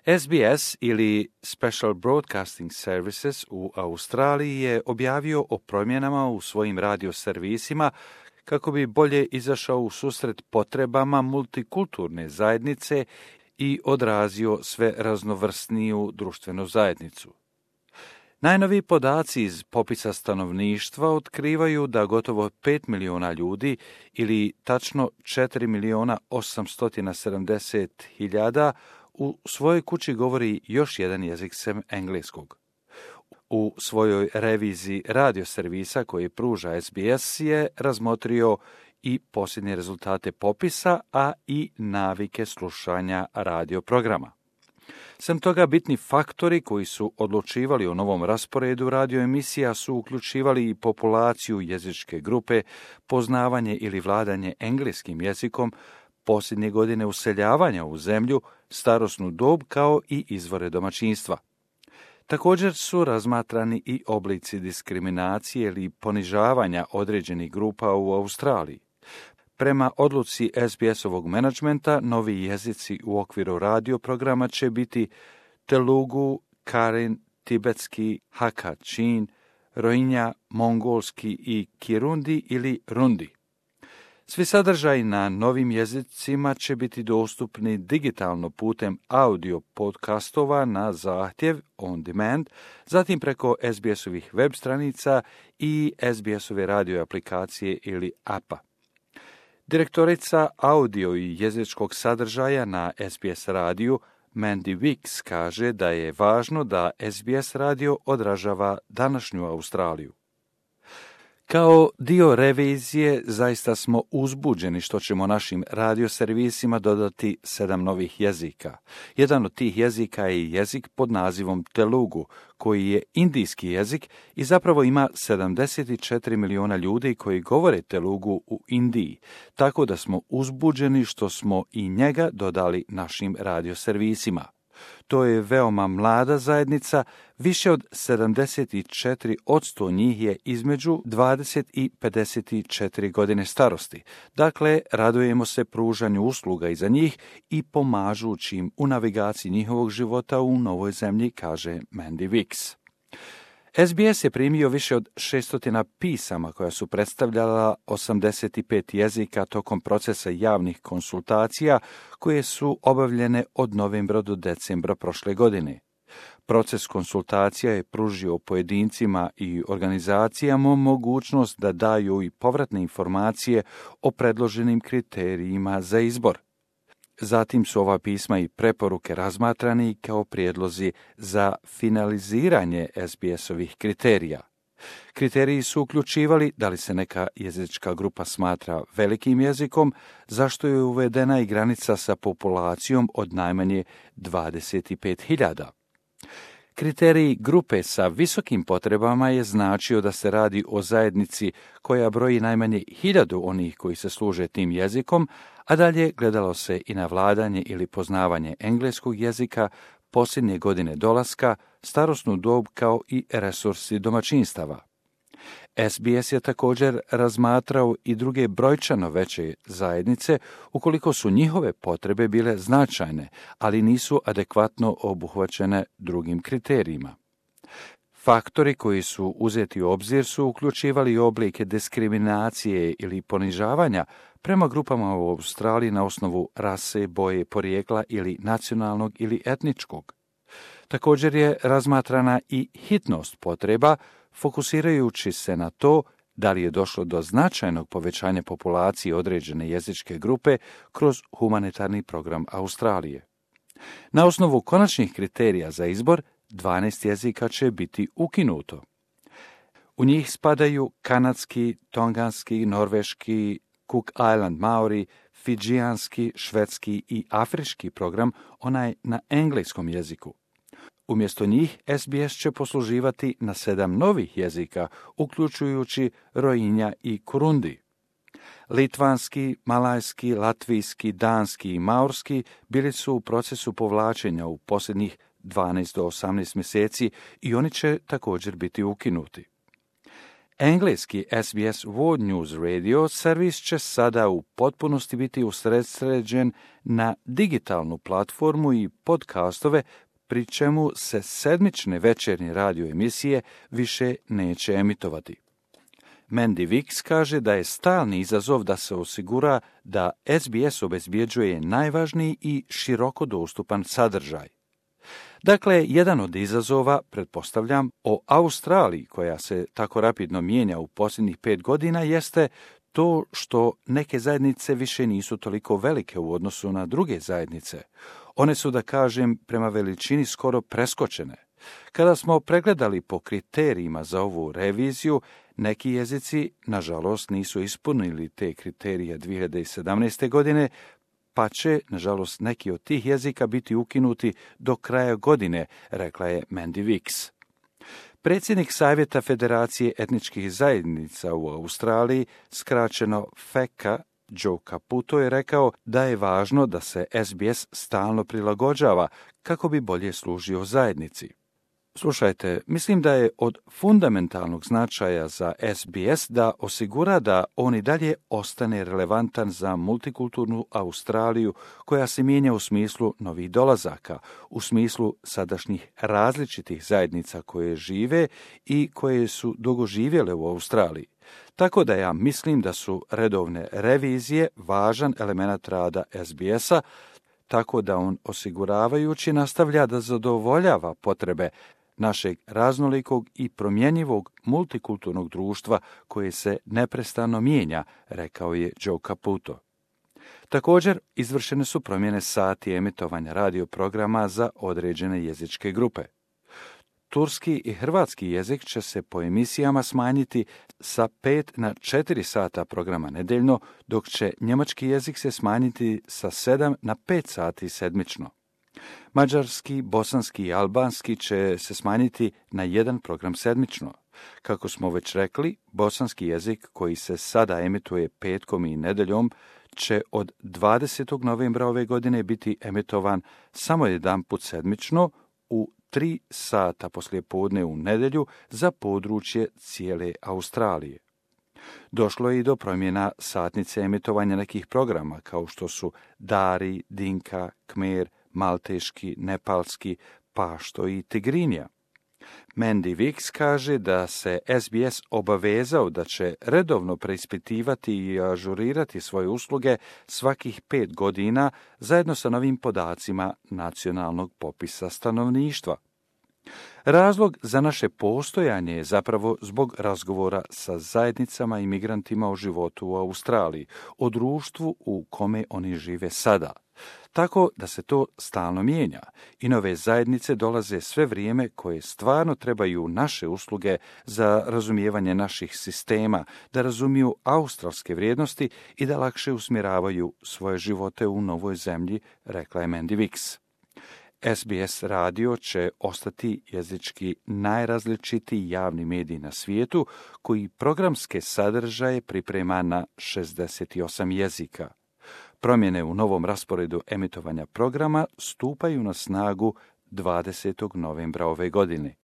SBS ili Special Broadcasting Services u Australiji je objavio o promjenama u svojim radio servisima kako bi bolje izašao u susret potrebama multikulturne zajednice i odrazio sve raznovrsniju društvenu zajednicu. Najnoviji podaci iz popisa stanovništva otkrivaju da gotovo 5 miliona ljudi ili tačno 4.870.000 u svojoj kući govori još jedan jezik sem engleskog. U svojoj reviziji radio servisa koji pruža SBS je razmotrio i posljednje rezultate popisa, a i navike slušanja radio programa. Sem toga, bitni faktori koji su odlučivali o novom rasporedu radio emisija su uključivali i populaciju jezičke grupe, poznavanje ili vladanje engleskim jezikom, posljednje godine useljavanja u zemlju, starosnu dob kao i izvore domaćinstva. Također su razmatrani i oblici diskriminacije ili ponižavanja određenih grupa u Australiji. Prema odluci SBS-ovog menadžmenta, novi jezici u okviru radio programa će biti Telugu, Karen, tibetski, Hakka, Chin, Rohingya, mongolski i Kirundi ili Rundi. Svi sadržaji na novim jezicima će biti dostupni digitalno putem audio podcastova na zahtjev on demand, zatim preko SBS-ovih web stranica i SBS-ove radio aplikacije ili apa. Direktorica audio i jezičkog sadržaja na SBS radiju Mandy Wicks kaže da je važno da SBS radio odražava današnju Australiju. Kao dio revizije zaista smo uzbuđeni što ćemo našim radioservisima dodati 7 novih jezika. Jedan od tih jezika je jezik pod nazivom Telugu, koji je indijski jezik i zapravo ima 74 miliona ljudi koji govore Telugu u Indiji, tako da smo uzbuđeni što smo i njega dodali našim radioservisima. To je veoma mlada zajednica, više od 74% njih je između 20 i 54 godine starosti. Dakle, radujemo se pružanju usluga i za njih i pomažući im u navigaciji njihovog života u novoj zemlji, kaže Mandy Wicks. SBS je primio više od 600 pisama koja su predstavljala 85 jezika tokom procesa javnih konsultacija koje su obavljene od novembra do decembra prošle godine. Proces konsultacija je pružio pojedincima i organizacijama mogućnost da daju i povratne informacije o predloženim kriterijima za izbor. Zatim su ova pisma i preporuke razmatrani kao prijedlozi za finaliziranje SBS-ovih kriterija. Kriteriji su uključivali da li se neka jezička grupa smatra velikim jezikom, zašto je uvedena i granica sa populacijom od najmanje 25.000. Kriterij grupe sa visokim potrebama je značio da se radi o zajednici koja broji najmanje 1000 onih koji se služe tim jezikom, a dalje gledalo se i na vladanje ili poznavanje engleskog jezika, posljednje godine dolaska, starosnu dob kao i resursi domaćinstava. SBS je također razmatrao i druge brojčano veće zajednice ukoliko su njihove potrebe bile značajne, ali nisu adekvatno obuhvaćene drugim kriterijima. Faktori koji su uzeti u obzir su uključivali oblike diskriminacije ili ponižavanja prema grupama u Australiji na osnovu rase, boje, porijekla ili nacionalnog ili etničkog. Također je razmatrana i hitnost potreba, fokusirajući se na to da li je došlo do značajnog povećanja populacije određene jezičke grupe kroz humanitarni program Australije. Na osnovu konačnih kriterija za izbor, 12 jezika će biti ukinuto. U njih spadaju kanadski, tonganski, norveški, Cook Island Maori, fidžijanski, švedski i afrički program, onaj na engleskom jeziku. Umjesto njih, SBS će posluživati na 7 novih jezika, uključujući Rohingya i Kurundi. Litvanski, malajski, latvijski, danski i maorski bili su u procesu povlačenja u posljednjih 12 do 18 mjeseci i oni će također biti ukinuti. Engleski SBS World News Radio servis će sada u potpunosti biti usredsređen na digitalnu platformu i podcastove, pri čemu se sedmične večernje radio emisije više neće emitovati. Mandy Wicks kaže da je stalni izazov da se osigura da SBS obezbjeđuje najvažniji i široko dostupan sadržaj. Dakle, jedan od izazova, pretpostavljam, o Australiji, koja se tako rapidno mijenja u posljednjih 5 godina, jeste to što neke zajednice više nisu toliko velike u odnosu na druge zajednice. One su, da kažem, prema veličini skoro preskočene. Kada smo pregledali po kriterijima za ovu reviziju, neki jezici, nažalost, nisu ispunili te kriterije 2017. godine, pa će, nažalost, neki od tih jezika biti ukinuti do kraja godine, rekla je Mandy Wicks. Predsjednik Savjeta Federacije etničkih zajednica u Australiji, skraćeno FECA, Joe Caputo, je rekao da je važno da se SBS stalno prilagođava kako bi bolje služio zajednici. Slušajte, mislim da je od fundamentalnog značaja za SBS da osigura da on i dalje ostane relevantan za multikulturnu Australiju koja se mijenja u smislu novih dolazaka, u smislu sadašnjih različitih zajednica koje žive i koje su dugo živjele u Australiji. Tako da ja mislim da su redovne revizije važan element rada SBS-a, tako da on osiguravajući nastavlja da zadovoljava potrebe našeg raznolikog i promjenjivog multikulturnog društva koje se neprestano mijenja, rekao je Joe Caputo. Također, izvršene su promjene sati emitovanja radioprograma za određene jezičke grupe. Turski i hrvatski jezik će se po emisijama smanjiti sa 5 na 4 sata programa nedeljno, dok će njemački jezik se smanjiti sa 7 na 5 sati sedmično. Mađarski, bosanski i albanski će se smanjiti na jedan program sedmično. Kako smo već rekli, bosanski jezik koji se sada emituje petkom i nedeljom će od 20. novembra ove godine biti emitovan samo jedanput sedmično u 3 sata poslijepodne u nedjelju za područje cijele Australije. Došlo je i do promjena satnice emitovanja nekih programa kao što su Dari, Dinka, Kmer, Malteški, Nepalski, Pašto i Tigrinja. Mandy Wicks kaže da se SBS obavezao da će redovno preispitivati i ažurirati svoje usluge svakih 5 godina zajedno sa novim podacima nacionalnog popisa stanovništva. Razlog za naše postojanje je zapravo zbog razgovora sa zajednicama i migrantima o životu u Australiji, o društvu u kome oni žive sada. Tako da se to stalno mijenja i nove zajednice dolaze sve vrijeme koje stvarno trebaju naše usluge za razumijevanje naših sistema, da razumiju australske vrijednosti i da lakše usmjeravaju svoje živote u novoj zemlji, rekla je Mandy Wicks. SBS radio će ostati jezički najrazličitiji javni medij na svijetu koji programske sadržaje priprema na 68 jezika. Promjene u novom rasporedu emitovanja programa stupaju na snagu 20. novembra ove godine.